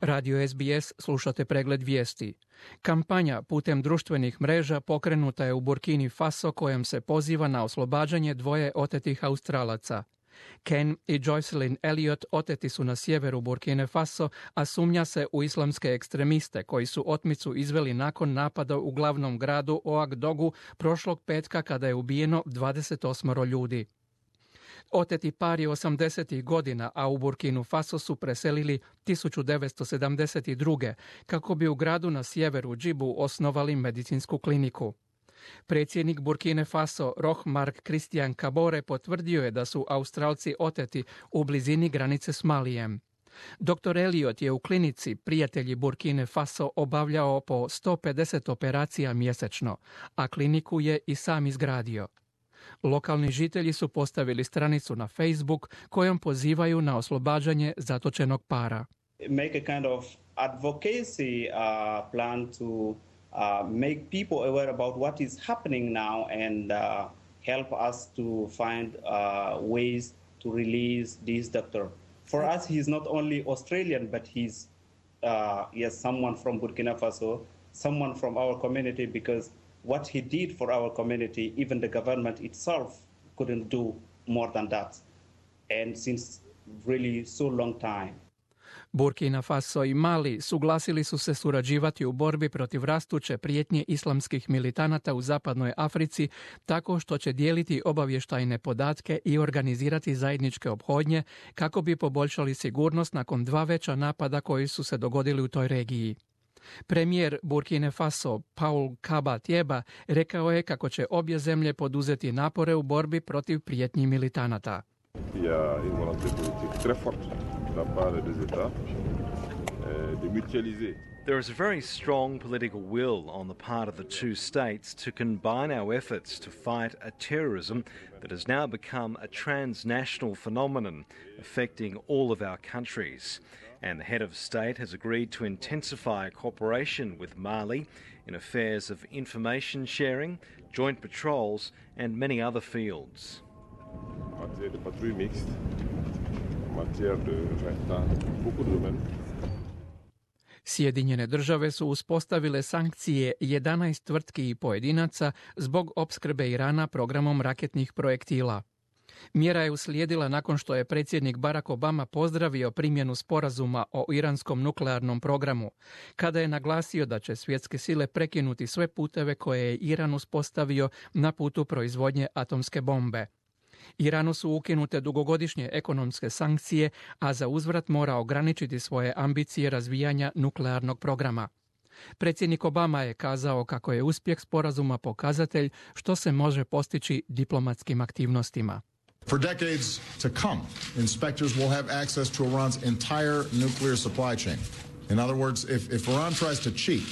Radio SBS slušate pregled vijesti. Kampanja putem društvenih mreža pokrenuta je u Burkini Faso kojom se poziva na oslobađanje dvoje otetih Australaca. Ken i Joycelyn Elliot oteti su na sjeveru Burkine Faso, a sumnja se u islamske ekstremiste koji su otmicu izveli nakon napada u glavnom gradu Ouagadougou prošlog petka kada je ubijeno 28 ljudi. Oteti par je 80. godina, a u Burkinu Faso su preselili 1972. kako bi u gradu na sjeveru Džibu osnovali medicinsku kliniku. Predsjednik Burkine Faso, Roch-Marc Christian Kabore, potvrdio je da su Australci oteti u blizini granice s Malijem. Dr. Elliot je u klinici Prijatelji Burkine Faso obavljao po 150 operacija mjesečno, a kliniku je i sam izgradio. Lokalni žitelji su postavili stranicu na Facebook kojom pozivaju na oslobađanje zatočenog para. Make a kind of advocacy plan to make people aware about what is happening now and help us to find ways to release this doctor. For us, he's not only Australian, but he's someone from Burkina Faso, someone from our community, because what he did for our community, even the government itself couldn't do more than that. And since really so long time. Burkina Faso i Mali suglasili su se surađivati u borbi protiv rastuće prijetnje islamskih militanata u zapadnoj Africi tako što će dijeliti obavještajne podatke i organizirati zajedničke ophodnje kako bi poboljšali sigurnost nakon dva veća napada koji su se dogodili u toj regiji. Premijer Burkine Faso Paul Kaba Tieba rekao je kako će obje zemlje poduzeti napore u borbi protiv prijetnji militanata. There is a very strong political will on the part of the two states to combine our efforts to fight a terrorism that has now become a transnational phenomenon affecting all of our countries. And the head of state has agreed to intensify cooperation with Mali in affairs of information sharing, joint patrols and many other fields. Sjedinjene države su uspostavile sankcije 11 tvrtki i pojedinaca zbog opskrbe Irana programom raketnih projektila. Mjera je uslijedila nakon što je predsjednik Barack Obama pozdravio primjenu sporazuma o iranskom nuklearnom programu, kada je naglasio da će svjetske sile prekinuti sve puteve koje je Iran uspostavio na putu proizvodnje atomske bombe. Iranu su ukinute dugogodišnje ekonomske sankcije, a za uzvrat mora ograničiti svoje ambicije razvijanja nuklearnog programa. Predsjednik Obama je kazao kako je uspjeh sporazuma pokazatelj što se može postići diplomatskim aktivnostima. For decades to come, inspectors will have access to Iran's entire nuclear supply chain. In other words, if Iran tries to cheat,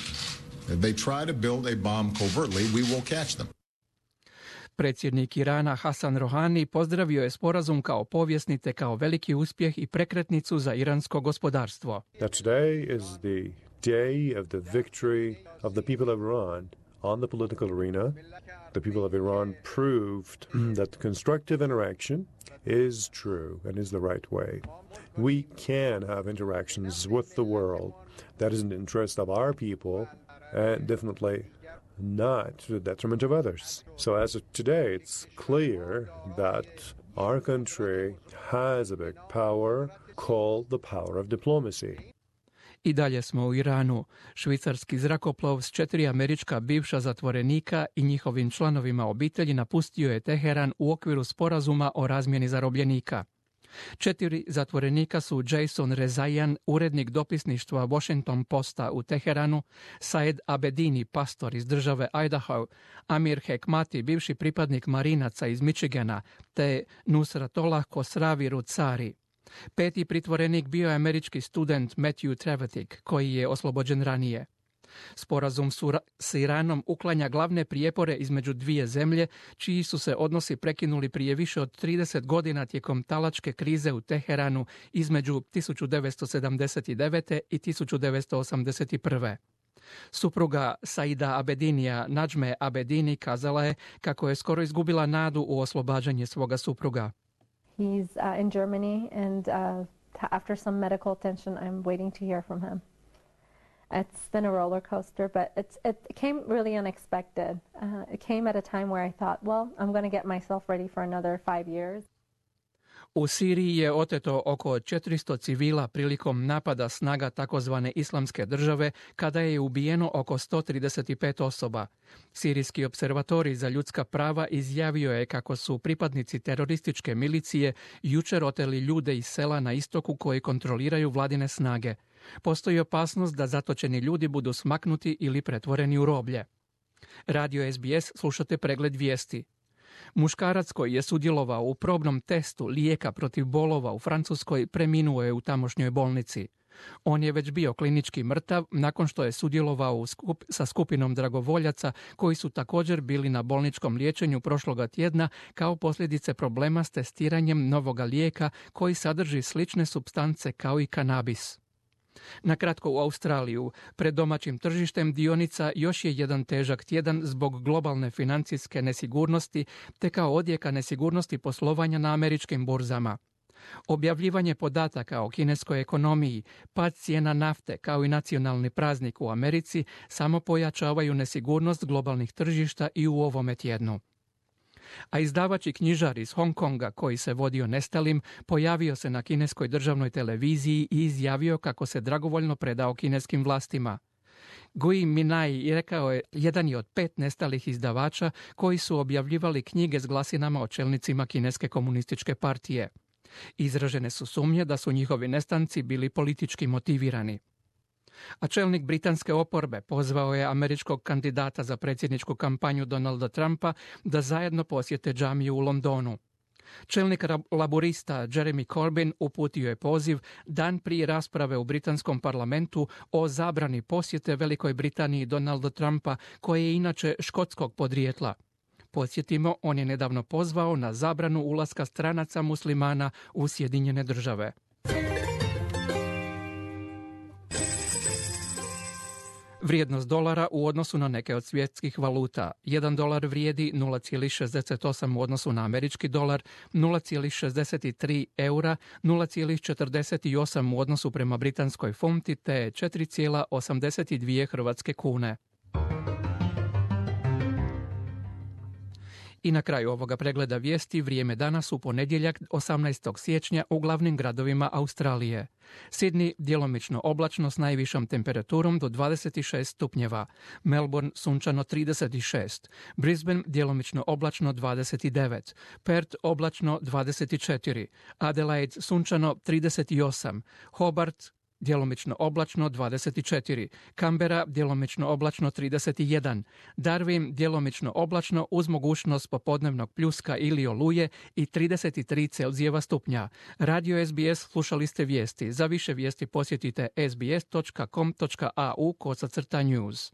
if they try to build a bomb covertly, we will catch them. Predsjednik Irana Hasan Rohani pozdravio je sporazum kao povijesni te kao veliki uspjeh i prekretnicu za iransko gospodarstvo. Today is the day of the victory of the people of Iran on the political arena. The people of Iran proved that constructive interaction is true and is the right way. We can have interactions with the world that is in the interest of our people and definitely not to the detriment of others. So as of today, it's clear that our country has a big power called the power of diplomacy. I dalje smo u Iranu. Švicarski zrakoplov s 4 američka bivša zatvorenika i njihovim članovima obitelji napustio je Teheran u okviru sporazuma o razmjeni zarobljenika. 4 zatvorenika su Jason Rezaian, urednik dopisništva Washington Posta u Teheranu, Saed Abedini, pastor iz države Idaho, Amir Hekmati, bivši pripadnik marinaca iz Michigana, te Nusratollah Khosravi Rucari. 5. pritvorenik bio je američki student Matthew Trevetik, koji je oslobođen ranije. Sporazum s Iranom uklanja glavne prijepore između dvije zemlje, čiji su se odnosi prekinuli prije više od 30 godina tijekom talačke krize u Teheranu između 1979. i 1981. Supruga Saida Abedinija, Najme Abedini, kazala je kako je skoro izgubila nadu u oslobađanje svoga supruga. He's in Germany and after some medical attention, I'm waiting to hear from him. It's been a roller coaster, but it came really unexpected. It came at a time where I thought, well, I'm going to get myself ready for another 5 years. U Siriji je oteto oko 400 civila prilikom napada snaga takozvane Islamske države, kada je ubijeno oko 135 osoba. Sirijski observatorij za ljudska prava izjavio je kako su pripadnici terorističke milicije jučer oteli ljude iz sela na istoku koji kontroliraju vladine snage. Postoji opasnost da zatočeni ljudi budu smaknuti ili pretvoreni u roblje. Radio SBS slušate pregled vijesti. Muškarac koji je sudjelovao u probnom testu lijeka protiv bolova u Francuskoj preminuo je u tamošnjoj bolnici. On je već bio klinički mrtav nakon što je sudjelovao sa skupinom dragovoljaca koji su također bili na bolničkom liječenju prošloga tjedna kao posljedice problema s testiranjem novoga lijeka koji sadrži slične supstance kao i kanabis. Na kratko u Australiju, pred domaćim tržištem dionica još je jedan težak tjedan zbog globalne financijske nesigurnosti te kao odjeka nesigurnosti poslovanja na američkim burzama. Objavljivanje podataka o kineskoj ekonomiji, pad cijena nafte kao i nacionalni praznik u Americi samo pojačavaju nesigurnost globalnih tržišta i u ovome tjednu. A izdavač i knjižar iz Hong Konga koji se vodio nestalim pojavio se na kineskoj državnoj televiziji i izjavio kako se dragovoljno predao kineskim vlastima. Gui Minai rekao je jedan je od 5 nestalih izdavača koji su objavljivali knjige s glasinama o čelnicima Kineske komunističke partije. Izražene su sumnje da su njihovi nestanci bili politički motivirani. A čelnik britanske oporbe pozvao je američkog kandidata za predsjedničku kampanju Donalda Trumpa da zajedno posjete džamiju u Londonu. Čelnik laborista Jeremy Corbyn uputio je poziv dan prije rasprave u britanskom parlamentu o zabrani posjete Velikoj Britaniji Donalda Trumpa, koji je inače škotskog podrijetla. Podsjetimo, on je nedavno pozvao na zabranu ulaska stranaca muslimana u Sjedinjene Države. Vrijednost dolara u odnosu na neke od svjetskih valuta. 1 dolar vrijedi 0,68 u odnosu na američki dolar, 0,63 eura, 0,48 u odnosu prema britanskoj funti te 4,82 hrvatske kune. I na kraju ovoga pregleda vijesti vrijeme danas u ponedjeljak 18. siječnja u glavnim gradovima Australije. Sydney djelomično oblačno s najvišom temperaturom do 26 stupnjeva. Melbourne sunčano 36. Brisbane djelomično oblačno 29. Perth oblačno 24. Adelaide sunčano 38. Hobart djelomično oblačno 24, Canberra djelomično oblačno 31, Darwin djelomično oblačno uz mogućnost popodnevnog pljuska ili oluje i 33 Celzijeva stupnja. Radio SBS slušali ste vijesti. Za više vijesti posjetite sbs.com.au/news.